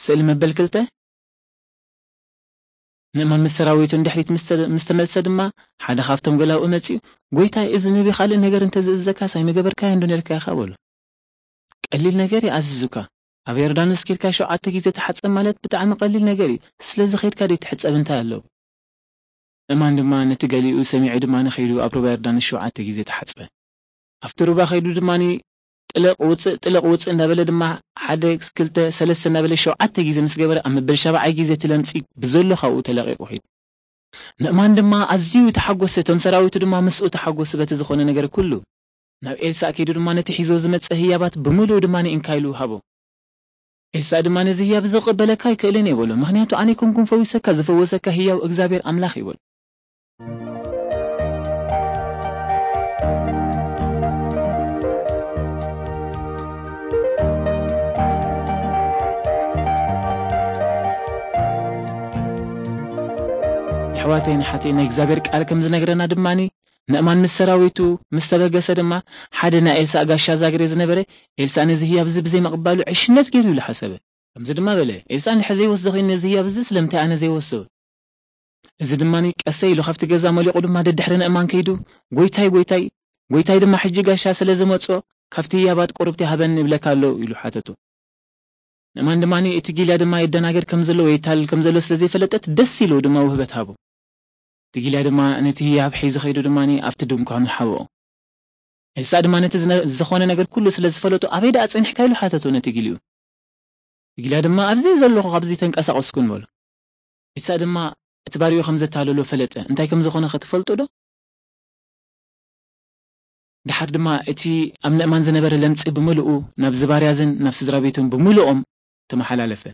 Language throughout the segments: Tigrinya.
ስእሊ መበል ክልተ። ንእማን ምስ ሰራዊቱ ንድሕሪት ምስ ተ-፣ ምስ ተመልሰ ድማ፣ ሓደ ካብቶም ገላውኡ መጺኡ፣ "ጐይታይ፣ እዚ ንቢ ካልእ ነገር እንተ ዝእዘካስ ኣይምገበርካዮን ዶ ነርካ ኢኻ?" በሎ። "ቀሊል ነገር እዩ ኣዚዙካ። ኣብ ዮርዳኖስ ኬድካ ሸውዓተ ግዜ ተሓጸብ ማለት ብጣዕሚ ቀሊል ነገር እዩ። ስለዚ ኸይድካ ደይትሕጸብ እንታይ ኣለዎ?" እማን ድማ ነቲ ገሊኡ ሰሚዑ ድማ ንኸይዱ ኣብ ሩባ ዮርዳኖስ ሸውዓተ ግዜ ተሓጽበ። ኣብቲ ሩባ ከይዱ ድማ ጥልቕ ውጽእ፣ ጥልቕ ውጽእ እንዳበለ ድማ ሓደ፣ ክልተ፣ ሰለስተ እንዳበለ ሸውዓተ ግዜ ምስ ገበረ ኣብ መበል ሻብዓይ ግዜ እቲ ለምጺ ብዘሎ ካብኡ ተለቒቑ ኸይዱ። ንእማን ድማ ኣዝዩ ተሓጎሰ፣ እቶም ሰራዊቱ ድማ ምስኡ ተሓጎሱ በቲ ዝኾነ ነገር ኩሉ። ናብ ኤልሳእ ከይዱ ድማ ነቲ ሒዞ ዝመጸ ህያባት ብምሉኡ ድማ ንእንካ ኢሉ ሃቦ። ኤልሳእ ድማ ነዚ ህያብ እዚ ክቕበለካ ኣይክእልን እየ በሎ፣ ምኽንያቱ ኣነ ኣይኮንኩን ፈዊሰካ፣ ዝፈወሰካ ህያው እግዚኣብሔር ኣምላኽ እዩ በሎ። ኣሕዋተይን ኣሓተይን ናይ እግዚኣብሔር ቃል ከም ዝነግረና ድማኒ ንእማን ምስ ሰራዊቱ ምስ ተበገሰ ድማ ሓደ ናይ ኤልሳእ ጋሻ ዛግሬ ዝነበረ ኤልሳእ ነዚ ህያብ እዚ ብዘይ ምቕባሉ ዕሽነት ገይሩ ኢሉ ሓሰበ። ከምዚ ድማ በለ፣ "ኤልሳእ እንድሕር ዘይወስዶ ኮይኑ ነዚ ህያብ እዚ ስለምንታይ ኣነ ዘይወስዶ?" እዚ ድማ ቀሰ ኢሉ ካብቲ ገዛ መሊቑ ድማ ደድሕሪ ንእማን ከይዱ፣ "ጐይታይ፣ ጐይታይ፣ ጐይታይ ድማ ሕጂ ጋሻ ስለ ዝመጾ ካብቲ ህያባት ቁርብቲ ሃበኒ ይብለካ ኣሎ" ኢሉ ሓተቶ። ንእማን ድማ እቲ ጊልያ ድማ የደናገር ከም ዘሎ ወይ የታልል ከም ዘሎ ስለ ዘይፈለጠት ደስ ኢሉ ድማ ውህበት ሃቦ። እቲ ጊልያ ድማ ነቲ ህያብ ሒዙ ከይዱ ድማ ኣብቲ ድንኳኑ ሓብኦ። ኤልሳእ ድማ ነቲ ዝነ-፣ ዝኾነ ነገር ኩሉ ስለ ዝፈለጡ፣ "ኣበይ ደኣ ጸኒሕካ?" ኢሉ ሓተቶ ነቲ ጊልኡ። እቲ ጊልያ ድማ፣ "ኣብዚ ዘለኹ፣ ካብዚ ተንቀሳቐስኩን" በሎ። ኤልሳእ ድማ እቲ ባሪኡ ከም ዘታለሎ ፈለጠ። እንታይ ከም ዝኾነ ከ ትፈልጡ ዶ? ደሓር ድማ እቲ ኣብ ንእማን ዝነበረ ለምጺ ብምልኡ ናብዚ ባርያዝን ናብ ስድራ ቤቱን ብምልኦም ተመሓላለፈ።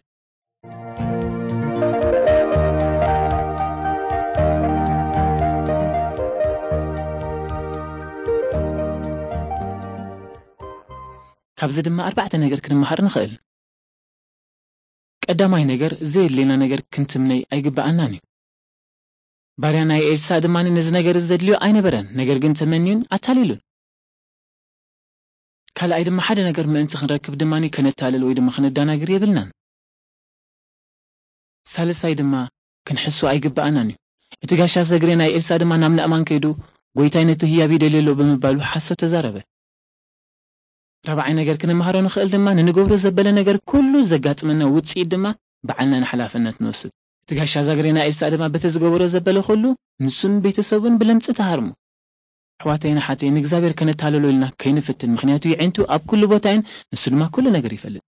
ካብዚ ድማ ኣርባዕተ ነገር ክንመሃር ንኽእል። ቀዳማይ ነገር፣ ዘየድልየና ነገር ክንትምነይ ኣይግብኣናን እዩ። ባርያ ናይ ኤልሳእ ድማ ነዚ ነገር እዚ ዘድልዮ ኣይነበረን፣ ነገር ግን ተመንዩን ኣታሊሉን። ካልኣይ ድማ፣ ሓደ ነገር ምእንቲ ክንረክብ ድማ ከነታልል ወይ ድማ ከነዳናግር የብልናን። ሳልሳይ ድማ፣ ክንሕሱ ኣይግብኣናን እዩ። እቲ ጋሻ ዛግሬ ናይ ኤልሳእ ድማ ናብ ናእማን ከይዱ፣ "ጐይታይ ነቲ ህያብ ይደልዮ ኣሎ" ብምባሉ ሓሶት ተዛረበ። ራብዓይ ነገር ክንመሃሮ ንኽእል ድማ፣ ንንገብሮ ዘበለ ነገር ኩሉ ዘጋጥመና ውጽኢት ድማ ባዕልና ንሓላፍነት ንወስድ። እቲ ጋሻ ዛግሬ ናይ ኤልሳእ ድማ በቲ ዝገበሮ ዘበለ ኩሉ ንሱን ቤተሰቡን ብለምጺ ተሃርሙ። ኣሕዋተይን ኣሓተይን፣ ንእግዚኣብሔር ከነታልሎ ኢልና ከይንፍትን፣ ምኽንያቱ የዒንቱ ኣብ ኩሉ ቦታ እየን፣ ንሱ ድማ ኩሉ ነገር ይፈልጥ።